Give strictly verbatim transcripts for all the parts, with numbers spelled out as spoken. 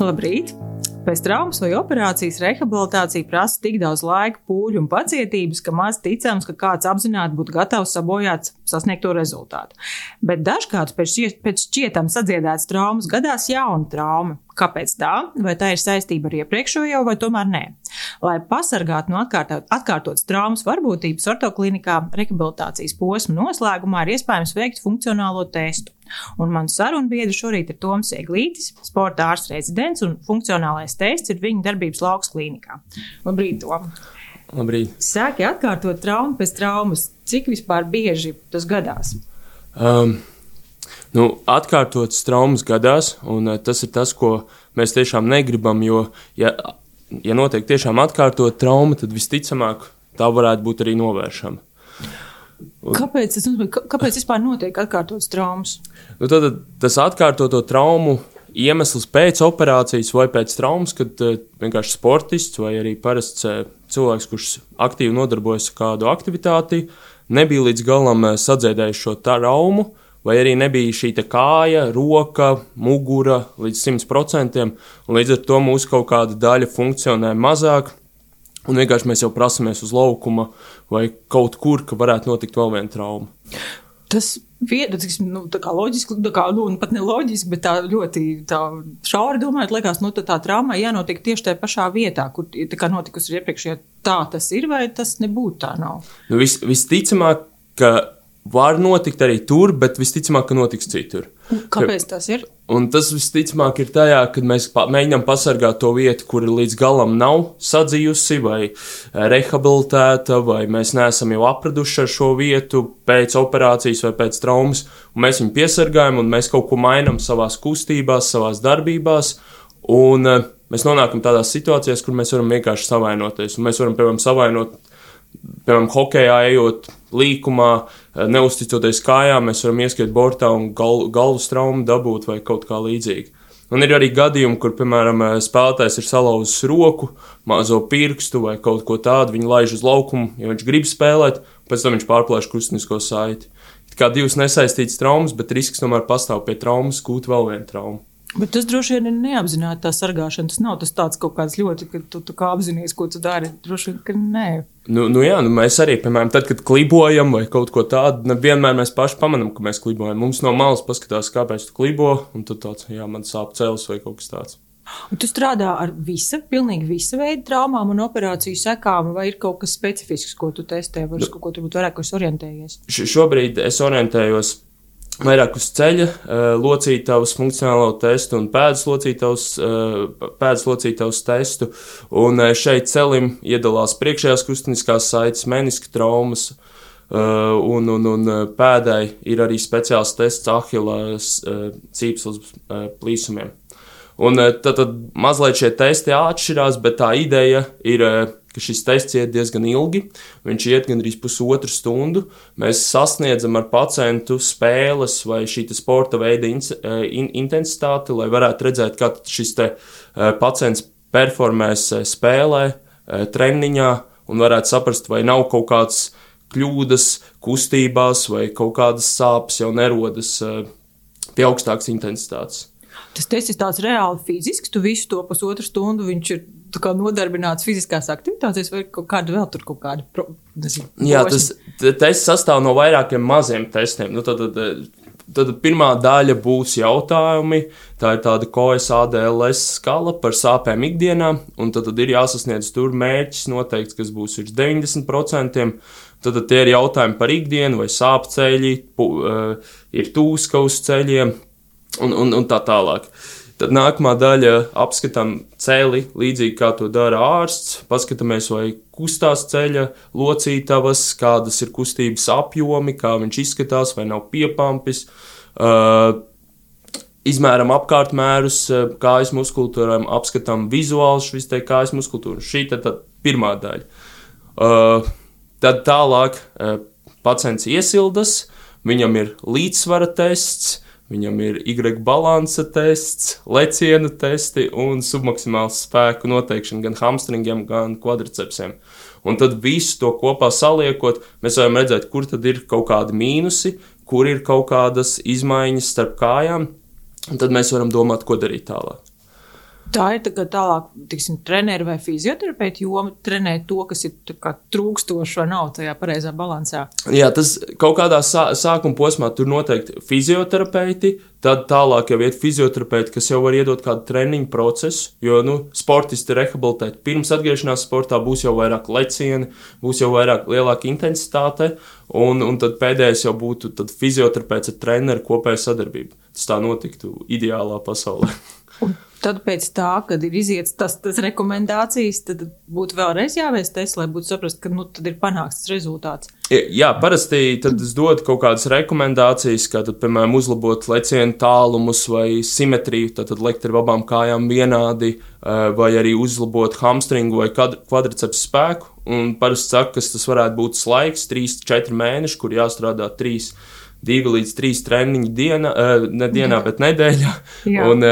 Labrīt! Pēc traumas vai operācijas rehabilitācija prasa tik daudz laika, pūļu un pacietības, ka maz ticams, ka kāds apzināti būtu gatavs sabojāt sasniegto rezultātu. Bet dažkārt pēc, pēc šķietam sadziedētas traumas gadās jauna trauma. Kāpēc tā? Vai tā ir saistība ar iepriekšējo, vai tomēr nē? Lai pasargātu no atkārtot, atkārtotas traumas varbūtības, ortoklinikā rehabilitācijas posma noslēgumā ir iespējams veikt funkcionālo testu. Un mans sarunbiedrs šorīt ir Toms Eglītis, sporta ārsts rezidents, un funkcionālais tests ir viņa darbības lauks klīnikā. Labrīt, Tom! Labrīt! Sāki atkārtot traumu pēc traumas. Cik vispār bieži tas gadās? Um, nu, atkārtotas traumas gadās, un uh, tas ir tas, ko mēs tiešām negribam, jo, ja, ja notiek tiešām atkārtot trauma, tad visticamāk tā varētu būt arī novēršama. Un, kāpēc, tas, kāpēc vispār notiek atkārtotas traumas? Nu, tad, tas atkārtoto traumu iemesls pēc operācijas vai pēc traumas, kad uh, vienkārši sportists vai arī parasts uh, cilvēks, kurš aktīvi nodarbojas ar kādu aktivitāti, nebija līdz galam uh, sadziedējis šo traumu, vai arī nebija šī kāja, roka, mugura līdz simt procentiem, un līdz ar to mūsu kaut kāda daļa funkcionē mazāk, un vienkārši mēs jau prasamies uz laukuma vai kaut kur, ka varētu notikt vēl viena trauma. Tas vieta, nu, tā kā loģiski, tā kā, nu, pat ne loģiski, bet tā ļoti tā šauri domājot, liekas, nu, tā, tā traumai jānotiek tieši tajā pašā vietā, kur tā kā notikusi iepriekšējā. Tā tas ir, vai tas nebūtu tā nav? Nu, vis, visticamāk, ka var notikt arī tur, bet visticamāk, ka notiks citur. Kāpēc tas ir? Un tas visticamāk ir tajā, kad mēs pa, mēģinām pasargāt to vietu, kur līdz galam nav sadzījusi vai rehabilitēta, vai mēs neesam jau apraduši ar šo vietu pēc operācijas vai pēc traumas, un mēs viņu piesargājam, un mēs kaut ko mainām savās kustībās, savās darbībās, un uh, mēs nonākam tādās situācijās, kur mēs varam vienkārši savainoties, un mēs varam, piemēram, savainot, piemēram, hokejā ejot līkumā, neusticoties kājām, mēs varam ieskriet bortā un gal, galvas traumu dabūt vai kaut kā līdzīgi. Un ir arī gadījumi, kur, piemēram, spēlētājs ir salauzis roku, mazo pirkstu vai kaut ko tādu, viņi laiž uz laukumu, ja viņš grib spēlēt, pēc tam viņš pārplēš kustinisko saiti. Kā divas nesaistītas traumas, bet risks tomēr pastāv pie traumas gūt vēl vienu traumu. Bet tas droši vien ir neapzināti tā sargāšana. Tas nav tas tāds kaut kāds ļoti, ka tu, tu kā apzinies, ko tu dari. Droši vien, ka nē. Nu, nu jā, nu mēs arī, piemēram, tad, kad klibojam vai kaut ko tādu, nevienmēr mēs paši pamanām, ka mēs klibojam. Mums no malas paskatās, kāpēc tu klibo, un tad tāds, jā, man sāp cēlis vai kaut kas tāds. Un tu strādā ar visa, pilnīgi visa veida traumām un operāciju sekām, vai ir kaut kas specifisks, ko tu testē, vai uz kaut ko turbūt vairāk es orientējies? Š- šobrīd es orientējos vairāk uz ceļa, locītavas funkcionālo testu un pēdas locītavas, pēdas locītavas testu. Un šeit celim iedalās priekšējās kustiniskās saites, meniska traumas, un, un, un pēdai ir arī speciāls tests ahila cīpslas plīsumiem. Un tad, tad mazliet šie testi atšķirās, bet tā ideja ir, ka šis tests iet diezgan ilgi, viņš iet gandrīz pusotru stundu. Mēs sasniedzam ar pacientu spēles vai šī sporta veida in, in, intensitāti, lai varētu redzēt, kā šis te pacients performēs spēlē, treniņā, un varētu saprast, vai nav kaut kāds kļūdas kustībās vai kaut kādas sāpes jau nerodas pie augstākas intensitātes. Tas tests ir tāds reāli fizisks, tu visu to pusotru stundu viņš ir tā kā nodarbināts fiziskās aktivitātes vai kaut kāda vēl tur kaut kāda pro, nezinu, Jā, tas tests sastāv no vairākiem maziem testiem. Nu, tad, tad, tad pirmā daļa būs jautājumi, tā ir tāda K S A D L S skala par sāpēm ikdienā, un tad, tad ir jāsasniedz tur mērķis noteikts, kas būs virs deviņdesmit procentiem. Tad, tad tie ir jautājumi par ikdienu vai sāpceļi, pu, uh, ir tūska uz ceļiem, Un, un, un tā tālāk. Tad nākamā daļa apskatām celi, līdzīgi kā to dara ārsts. Paskatāmies, vai kustās ceļa locītavas, kādas ir kustības apjomi, kā viņš izskatās, vai nav piepampis. Uh, izmēram apkārtmērus kājas muskultūrām, apskatām vizuāli šis te kājas muskultūru. Šī tad, tad pirmā daļa. Uh, tad tālāk uh, pacients iesildas, viņam ir līdzsvara tests, viņam ir Y balansa tests, lecienu testi un submaksimāls spēku noteikšana gan hamstringiem, gan kvadricepsiem. Un tad visu to kopā saliekot, mēs varam redzēt, kur tad ir kaut kādi mīnusi, kur ir kaut kādas izmaiņas starp kājām, un tad mēs varam domāt, ko darīt tālāk. Tā ir tā kā tālāk, tiksim, treneri vai fizioterapeiti joma trenē to, kas ir tā kā trūkstoši vai nav tajā pareizā balansā. Jā, tas kaut kādā sā, sākuma posmā tur noteikti fizioterapeiti, tad tālāk jau iet fizioterapeiti, kas jau var iedot kādu treniņu procesu, jo, nu, sportisti rehabilitēt pirms atgriešanās sportā būs jau vairāk lecieni, būs jau vairāk lielāka intensitāte, un, un tad pēdējais jau būtu tad fizioterapeits ar treneru kopēja sadarbība. Tas tā notiktu ideālā pasaulē. Un tad pēc tā, kad ir iziets tas, tas rekomendācijas, tad būtu vēlreiz jāveic tests, lai būtu saprast, ka nu, tad ir panāks tas rezultāts. Jā, parasti tad es dodu kaut kādas rekomendācijas, kā tad, piemēram, uzlabot lecienu tālumus vai simetriju, tad, tad lekt ar abām kājām vienādi, vai arī uzlabot hamstringu vai kvadriceps spēku. Un parasti saka, ka tas varētu būt laiks, trīs četri mēneši, kur jāstrādā trīs, divi līdz trīs treniņi diena, ne dienā, bet nedēļā. Un,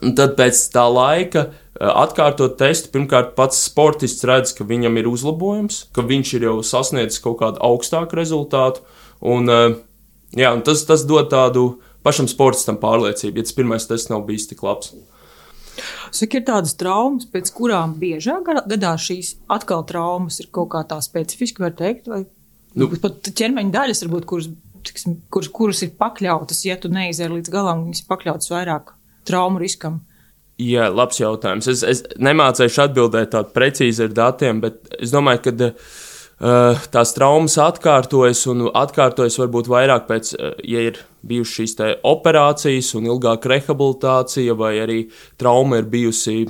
Un tad pēc tā laika atkārtot testu, pirmkārt pats sportists redz, ka viņam ir uzlabojums, ka viņš ir jau sasniedzis kaut kādu augstāku rezultātu, un, jā, un tas, tas dod tādu pašam sportistam pārliecību, ja tas pirmais tests nav bijis tik labs. Saka, ir tādas traumas, pēc kurām biežāk gadā šīs atkal traumas ir kaut kā tā specifiski, var teikt, vai nu, pat ķermeņa daļas, varbūt, kuras, tiksim, kuras, kuras ir pakļautas, ja tu neizēri līdz galam, viņas ir pakļautas vairāk traumu riskam? Jā, labs jautājums. Es, es nemācēšu atbildēt tādu precīzi ar datiem, bet es domāju, ka uh, tās traumas atkārtojas un atkārtojas varbūt vairāk pēc, uh, ja ir bijušas šīs te operācijas un ilgāka rehabilitācija, vai arī trauma ir bijusi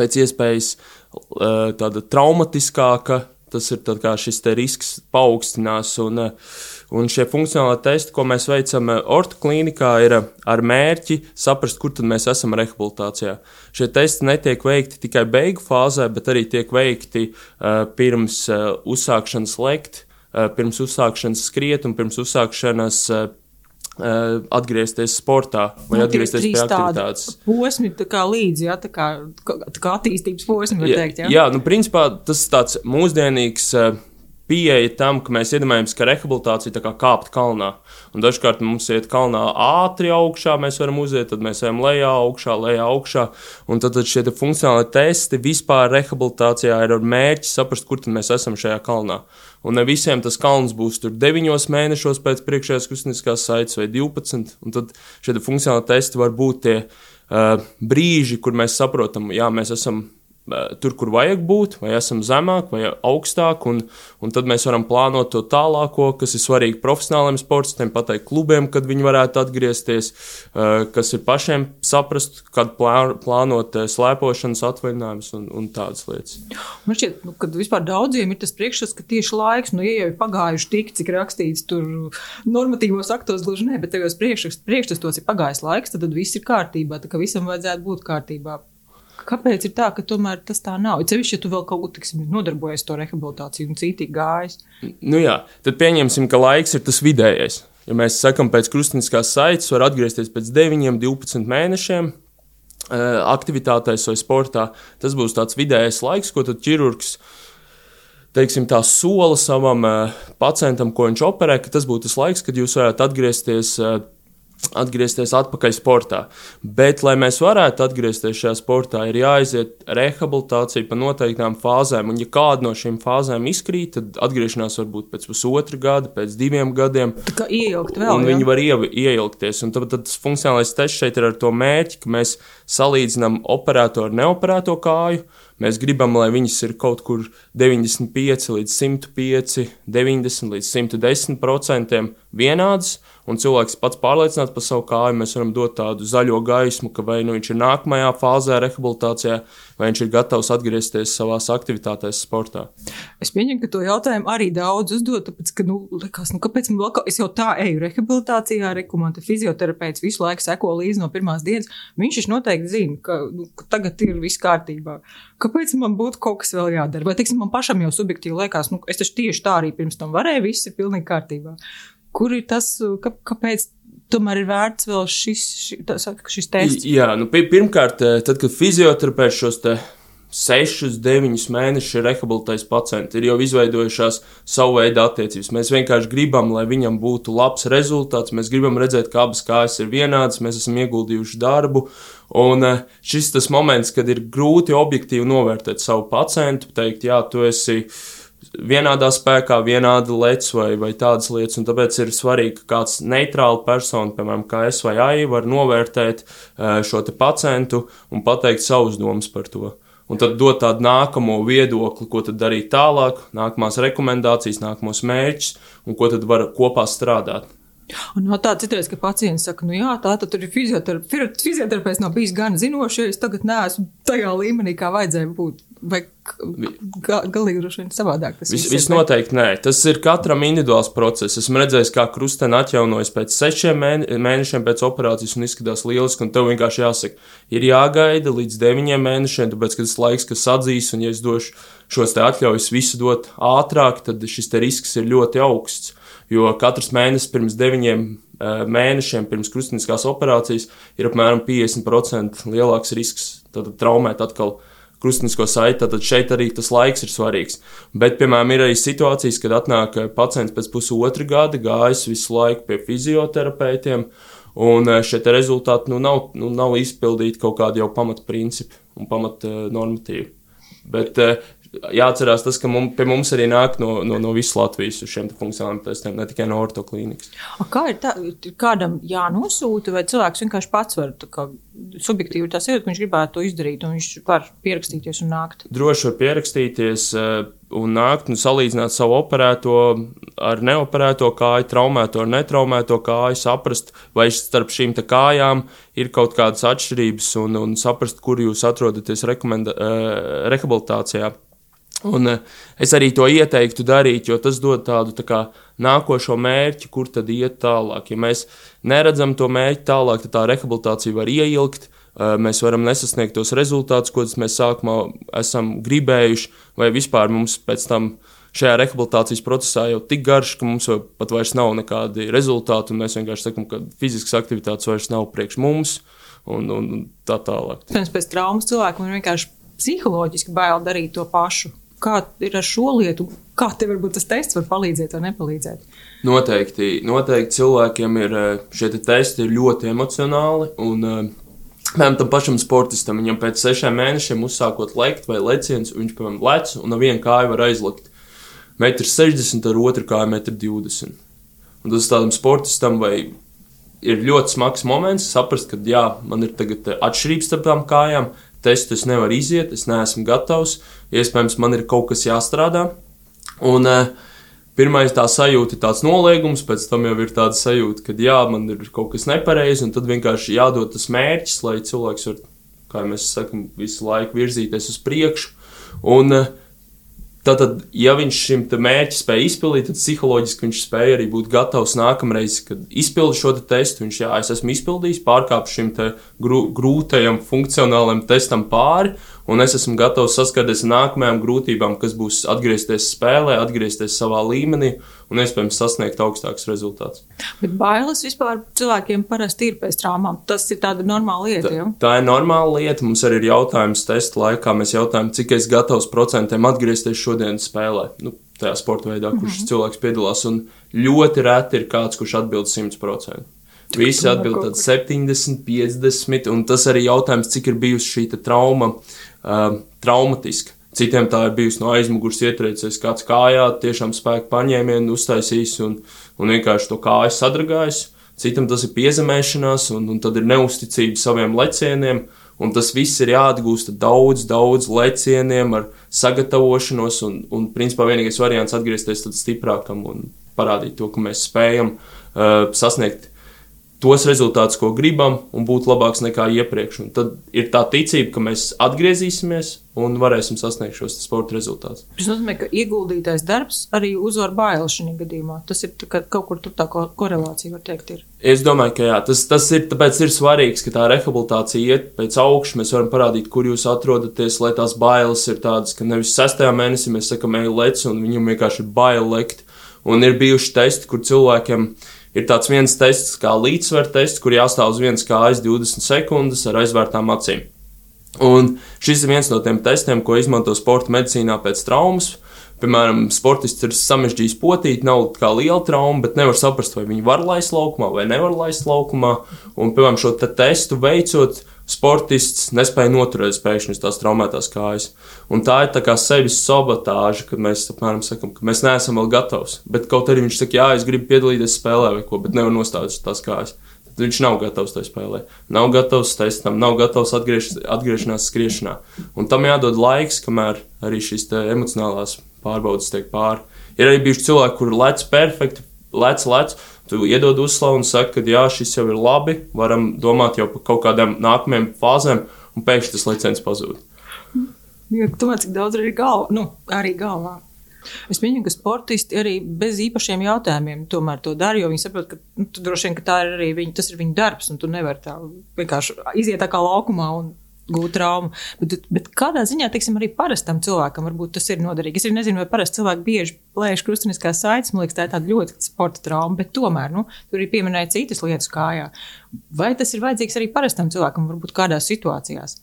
pēc iespējas uh, tāda traumatiskāka, tas ir tad kā šis te risks paaugstinās un uh, Un šie funkcionāli testi, ko mēs veicam ortoklīnikā, ir ar mērķi saprast, kur tad mēs esam rehabilitācijā. Šie testi netiek veikti tikai beigu fāzē, bet arī tiek veikti uh, pirms uh, uzsākšanas lekt, uh, pirms uzsākšanas skriet un pirms uzsākšanas uh, uh, atgriezties sportā vai nu, atgriezties pie aktivitātes. Posmi tā kā līdzi, ja, tā kā, tā kā attīstības posmi, var teikt, ja? Jā, nu principā tas tāds mūsdienīgs uh, pieeja tam, ka mēs iedomājamies, ka rehabilitācija tā kā kāpt kalnā. Un dažkārt mums iet kalnā ātri augšā, mēs varam uziet, tad mēs ejam lejā augšā, lejā augšā. Un tad, tad šie funkcionāli testi vispār rehabilitācijā ir ar mērķi saprast, kur tad mēs esam šajā kalnā. Un ne visiem tas kalns būs tur deviņos mēnešos pēc priekšējās kustniskās saites vai divpadsmit. Un tad šie funkcionāli testi var būt tie uh, brīži, kur mēs saprotam, jā, mēs esam tur, kur vajag būt, vai esam zemāk, vai augstāk, un, un tad mēs varam plānot to tālāko, kas ir svarīgi profesionāliem sportistiem, pateikt klubiem, kad viņi varētu atgriezties, kas ir pašiem saprast, kad plānot slēpošanas atvaļinājumus un, un tādas lietas. Man šķiet, nu, kad vispār daudziem ir tas priekšstats, ka tieši laiks, nu, ja jau ir pagājuši tik, cik rakstīts tur normatīvos aktos, gluži ne, bet tajos priekšstats ir pagājis laiks, tad, tad viss ir kārtībā, tā ka visam vajadzētu būt kārtībā. Kāpēc ir tā, ka tomēr tas tā nav? Cevišķi, ja tu vēl kaut ko, tiksim, nodarbojies to rehabilitāciju un cītīgi gājis. Nu jā, tad pieņemsim, ka laiks ir tas vidējais. Ja mēs sakam, pēc krustniskās saites var atgriezties pēc deviņiem, divpadsmit mēnešiem aktivitātēs vai sportā, tas būs tāds vidējais laiks, ko tad ķirurgs, teiksim, tā sola savam pacientam, ko viņš operē, ka tas būtu tas laiks, kad jūs varētu atgriezties atgriezties atpakaļ sportā. Bet, lai mēs varētu atgriezties šajā sportā, ir jāaiziet rehabilitācija pa noteiktām fāzēm, un ja kāda no šīm fāzēm izkrīt, tad atgriešanās var būt pēc pusotra gada, pēc diviem gadiem. Tā kā ieilgt vēl, un jā? viņi var ie, ieilgties, un tad, tad tas funkcionālais tests šeit ir ar to mērķi, ka mēs salīdzinām operēto ar neoperēto kāju. Mēs gribam, lai viņas ir kaut kur deviņdesmit pieci līdz simt pieci, deviņdesmit līdz simt desmit procentiem vienādas, un cilvēks pats pārliecināts par savu kāju, mēs varam dot tādu zaļo gaismu, ka vai nu viņš ir nākamajā fāzē rehabilitācijā, vai viņš ir gatavs atgriezties savās aktivitātēs sportā. Es pieņemu, ka to jautājumu arī daudz uzdot, tāpēc, ka, nu, likās, nu, kāpēc man vēl, es jau tā eju rehabilitācijā, reku, man te fizioterapeits visu laiku seko līdzi no pirmās dienas, viņš viņš noteikti zina, ka, nu, ka tagad ir viss kārtībā. Kāpēc man būtu kaut kas vēl jādara? Vai, teiksim, man pašam jau subjektīvi liekas, nu, es taču tieši tā arī pirms tam varēju, viss ir pilnīgi kārtībā. Kur ir tas, kā, kāpēc tomēr ir vērts vēl šis, šis, šis tests? Jā, nu pirmkārt, tad, kad fizioterapeits šos te sešus, deviņus mēnešus ir rehabilitējis pacienti, ir jau izveidojušās savu veidu attiecības. Mēs vienkārši gribam, lai viņam būtu labs rezultāts, mēs gribam redzēt, ka abas kājas ir vienādas, mēs esam ieguldījuši darbu, un šis tas moments, kad ir grūti objektīvi novērtēt savu pacientu, teikt, jā, tu esi vienādā spēkā, vienāda lec vai, vai tādas lietas, un tāpēc ir svarīgi, ka kāds neitrāla persona, piemēram, kā es vai Aija, var novērtēt šo te pacientu un pateikt savus domas par to. Un tad dot tādu nākamo viedokli, ko tad darīt tālāk, nākamās rekomendācijas, nākamos mērķus un ko tad var kopā strādāt. Un no tā citreiz, ka pacients saka, nu jā, tā tad tur ir fizioterapeits, fizioterapeits nav bijis gan zinošs, ja es tagad neesmu tajā līmenī, kā vajadzēja būt. Vai ga, galīgi droši vien savādāk tas viss ir? Viss noteikti nē. Tas ir katram individuāls process. Esmu redzējis, kā krusteni atjaunojas pēc sešiem mēnešiem pēc operācijas un izskatās lieliski, un tev vienkārši jāsaka, ir jāgaida līdz deviņiem mēnešiem, tāpēc, ka tas laiks, kas atzīs, un ja es došu šos te atļaujas visu dot ātrāk, tad šis te risks ir ļoti augsts. Jo katrs mēnesis pirms deviņiem mēnešiem, pirms krusteniskās operācijas, ir apmēram piecdesmit procenti lielāks risks tad traumēt atkal krustenisko saiti, tad šeit arī tas laiks ir svarīgs. Bet, piemēram, ir arī situācijas, kad atnāk pacients pēc pusotra gada, gājis visu laiku pie fizioterapeitiem, un šie te rezultāti nu, nav, nu, nav izpildīti kaut kādi jau pamatprincipi un pamatnormatīvi. Bet jāatcerās tas, ka mums, pie mums arī nāk no, no, no visas Latvijas uz šiem funkcionāliem testiem, ne tikai no ortoklīnikas. Kā ir tā, kādam jānosūta, vai cilvēks vienkārši pats var, tā kā subjektīvi tas ir, ka viņš gribētu to izdarīt, un viņš var pierakstīties un nākt? Droši var pierakstīties un nākt un salīdzināt savu operēto ar neoperēto kāju, traumēto ar netraumēto kāju, saprast, vai starp šīm te kājām ir kaut kādas atšķirības un, un saprast, kur jūs atrodaties rekomenda, rehabilitācijā. Un es arī to ieteiktu darīt, jo tas dod tādu tā kā nākošo mērķi, kur tad iet tālāk. Ja mēs neredzam to mērķi tālāk, tad tā rehabilitācija var ieilgt, mēs varam nesasniegt tos rezultātus, ko mēs sākumā esam gribējuši, vai vispār mums pēc tam šajā rehabilitācijas procesā jau tik garš, ka mums pat vairs nav nekādi rezultāti, un mēs vienkārši sakam, ka fiziskas aktivitātes vairs nav priekš mums, un, un tā tālāk. Pirms pēc traumas cilvēkam ir vienkārši psiholoģiski bail darīt to pašu. Kā ir ar šo lietu? Kā tev varbūt tas tests var palīdzēt vai nepalīdzēt? Noteikti, noteikti cilvēkiem ir šie te testi ir ļoti emocionāli, un piemēram tam pašam sportistam, viņam pēc sešiem mēnešiem uzsākot lekt vai leciens, viņš, piemēram, lec, un ar vienu kāju var aizlikt metrs sešdesmit, ar otru kāju metrs divdesmit. Un tas tādam sportistam vai ir ļoti smags moments saprast, ka jā, man ir tagad atšķirības starp tām kājām, testu es nevaru iziet, es neesmu gatavs, iespējams, man ir kaut kas jāstrādā. Un uh, pirmais tā sajūta ir tāds noliegums, pēc tam jau ir tāda sajūta, ka jā, man ir kaut kas nepareizi, un tad vienkārši jādod tas mērķis, lai cilvēks var, kā mēs sakam, visu laiku virzīties uz priekšu. Un uh, tātad, ja viņš šim te mērķi spēja izpildīt, tad psiholoģiski viņš spēja arī būt gatavs nākamreiz, kad izpildu šo te testu, viņš, jā, es esmu izpildījis, pārkāpu šim te grū, grūtajam funkcionālajam testam pāri, un es esmu gatavs saskarties ar nākamajām grūtībām, kas būs atgriezties spēlē, atgriezties savā līmenī un iespējams sasniegt augstāks rezultāts. Bet bailes vispār cilvēkiem parasti ir pēc traumām. Tas ir tāda normāla lieta, jau? Tā, tā ir normāla lieta. Mums arī ir jautājums testa laikā. Mēs jautājam, cik es gatavs procentiem atgriezties šodienas spēlē. Nu, tajā sporta veidā, kurš mm-hmm. cilvēks piedalās. Un ļoti reti ir kāds, kurš atbild simt procenti. Visi atbild tad septiņdesmit, piecdesmit, un tas arī jautājums, cik ir bijusi šī trauma uh, traumatiska. Citiem tā ir bijusi no aizmugurs ietriecies kāds kājā, tiešām spēku paņēmienu uztaisījis un, un vienkārši to kāju sadragājis. Citam tas ir piezemēšanās, un, un tad ir neusticība saviem lecieniem, un tas viss ir jāatgūst daudz, daudz lecieniem ar sagatavošanos, un, un principā vienīgais variants atgriezties tad stiprākam un parādīt to, ka mēs spējam uh, sasniegt tos rezultātus, ko gribam, un būt labāks nekā iepriekš. Un tad ir tā ticība, ka mēs atgriezīsimies un varēsim sasniegt šos sporta rezultātus. Tas nozīmē, ka ieguldītais darbs arī uzvar bailes šajā gadījumā. Tas ir ka kaut kur tur tā korelācija, var teikt, ir. Es domāju, ka jā. Tas, tas ir, tāpēc ir svarīgs, ka tā rehabilitācija iet pēc augšu. Mēs varam parādīt, kur jūs atrodaties, lai tās bailes ir tādas, ka nevis sestajā mēnesī mēs sakam, ej lec, un viņam vienkārši ir bail lekt. Un ir bijuši testi, kur cilvēkiem ir tāds viens tests kā līdzsver tests, kur jāstāv uz vienas kājas divdesmit sekundes ar aizvērtām acīm. Un šis ir viens no tiem testiem, ko izmanto sporta medicīnā pēc traumas. Piemēram, sportists ir samežģījis potīti, nav kā liela trauma, bet nevar saprast, vai viņi var laist laukumā vai nevar laist laukumā. Un, piemēram, šo te testu veicot, sportists nespēja noturēt pēkšņi uz tās traumētās kājas. Un tā ir tā kā sevis sabotāža, kad mēs, apmēram, sakam, ka mēs neesam vēl gatavs. Bet kaut arī viņš saka, jā, es gribu piedalīties spēlē vai ko, bet nevar nostāt uz tās kājas. Tad viņš nav gatavs tai spēlē, nav gatavs testam, nav gatavs atgriež, atgriešanās skriešanā. Un tam jādod laiks, kamēr arī šīs te emocionālās pārbaudas tiek pāri. Ir arī bijuši cilvēki, kuri lec perfekti, lec, lec, tu iedod uzslavu un saka, ka jā, šis jau ir labi, varam domāt jau par kaut kādām nākamajām fāzēm, un pēkšņi tas leciens pazūd. Jo, tomēr, cik daudz arī galvā, nu, arī galvā. Es pieņemu, ka sportisti arī bez īpašiem jautājumiem tomēr to dara, jo viņi saprot, ka nu, droši vien, ka tā ir arī viņi, tas ir viņu darbs, un tu nevari tā vienkārši iziet tā kā laukumā un gūt traumu. Bet, bet kādā ziņā, teiksim, arī parastam cilvēkam varbūt tas ir noderīgi. Es arī nezinu, vai parasti cilvēki bieži plēš krustuniskās saites, man liekas, tā ir tāda ļoti sporta trauma, bet tomēr, nu, tur arī pieminēja citas lietas kājā. Vai tas ir vajadzīgs arī parastam cilvēkam, varbūt kādās situācijās?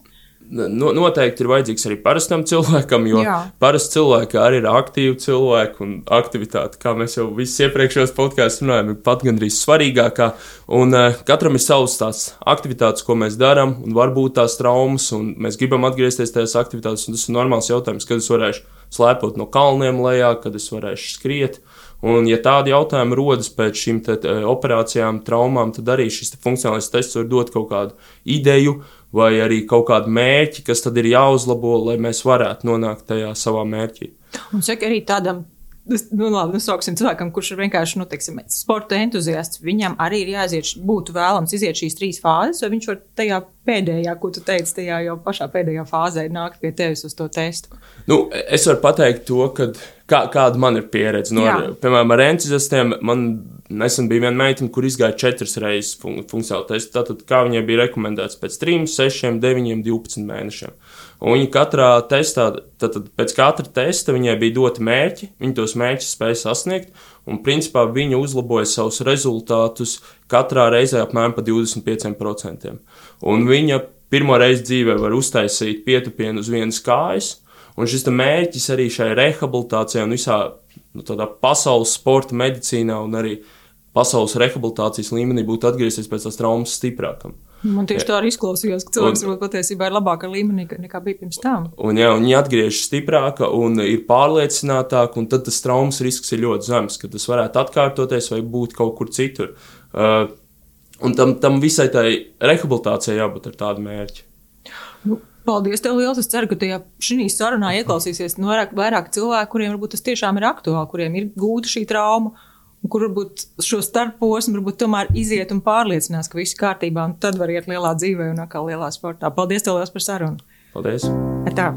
No, noteikti ir vajadzīgs arī parastam cilvēkam, jo Jā. parasti cilvēki arī ir aktīvi cilvēki un aktivitāte, kā mēs jau visus iepriekšējos podkāstos runājam, ir pat gandrīz svarīgākā. Un uh, katram ir savas tās aktivitātes, ko mēs darām, un varbūt tās traumas, un mēs gribam atgriezties tajās aktivitātes, un tas ir normāls jautājums, kad es varēšu slēpot no kalniem lejā, kad es varēšu skriet. Un, ja tādi jautājumi rodas pēc šīm te, te, operācijām, traumām, tad arī šis te funkcionālais tests var dot kaut kādu ideju vai arī kaut kādu mērķi, kas tad ir jāuzlabo, lai mēs varētu nonākt tajā savā mērķī. Un saka arī tādam, nu labi, nu sauksim cilvēkam, kurš ir vienkārši, nu, teiksim, sporta entuziasts, viņam arī ir jāiziet, būtu vēlams iziet šīs trīs fāzes, vai viņš var tajā pēdējā, ko tu teici, tajā jau pašā pēdējā fāzē nākt pie tevis uz to testu? Nu, es varu pateikt to, ka kā, kāda man ir pieredze. No, ar, piemēram, ar entuziastiem man nesen bija viena meitene, kur izgāja četras reizes fun- funkcionālu testu. Tātad, kā viņai bija rekomendēts pēc trim, sešiem, deviņiem, divpadsmit mēnešiem. Un viņa katrā testā, tātad pēc katra testa viņai bija doti mērķi, viņa tos mērķus spēja sasniegt, un principā viņa uzlaboja savus rezultātus katrā reizē apmēram pa divdesmit pieciem procentiem. Un viņa pirmo reizi dzīvē var uztaisīt pietupienu uz vienas kājas, un šis mērķis arī šai rehabilitācijai un visā nu, tādā pasaules sporta medicīnā un arī pasaules rehabilitācijas līmenī būtu atgriezties pēc tās traumas stiprākam. Man tieši tā arī izklausījās, ka cilvēks varbūt patiesībā ir labāka līmenī nekā bija pirms tam. Un jā, un viņa atgriežas stiprāka un ir pārliecinātāka, un tad tas traumas risks ir ļoti zems, ka tas varētu atkārtoties vai būt kaut kur citur. Uh, un tam, tam visai tai rehabilitācijai jābūt ar tādu mērķi. Nu. Paldies tev liels. Es ceru, ka tajā šī sarunā ieklausīsies nu, vairāk, vairāk cilvēku, kuriem varbūt tas tiešām ir aktuāli, kuriem ir gūta šī trauma, un kur varbūt šo starposmu varbūt tomēr iziet un pārliecinās, ka viss kārtībā, un tad var iet lielā dzīvē un atkal lielā sportā. Paldies tev liels par sarunu. Paldies. Ar tā.